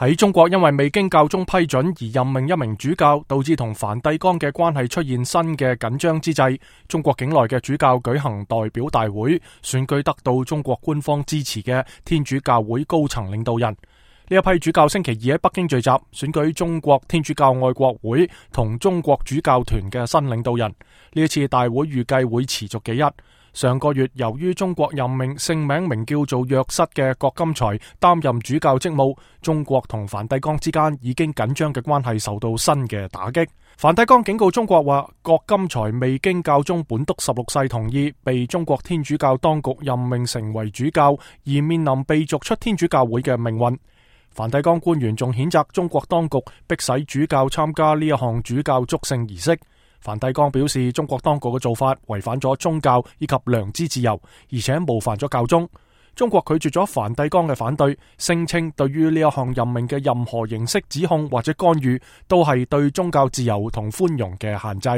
喺中國因為未經教宗批准而任命一名主教，導致同梵蒂岡嘅關係出現新嘅緊張之際，中國境內嘅主教舉行代表大會，選舉得到中國官方支持嘅天主教會高層領導人。呢一批主教星期二喺北京聚集，選舉中國天主教愛國會同中國主教團嘅新領導人。呢一次大會預計會持續幾日。上個月，由於中國任命姓名叫做若瑟嘅郭金才擔任主教職務，中國同梵蒂岡之間已經緊張嘅關係受到新嘅打擊。梵蒂岡警告中國話，郭金才未經教宗本篤16世同意，被中國天主教當局任命成為主教，而面臨被逐出天主教會嘅命運。梵蒂岡官員仲譴責中國當局迫使主教參加呢一項主教祝聖儀式。梵蒂岡表示，中國當局嘅做法違反咗宗教以及良知自由，而且冒犯咗教宗。中國拒絕咗梵蒂岡嘅反對，聲稱對於呢一項任命嘅任何形式指控或者干預，都係對宗教自由同寬容嘅限制。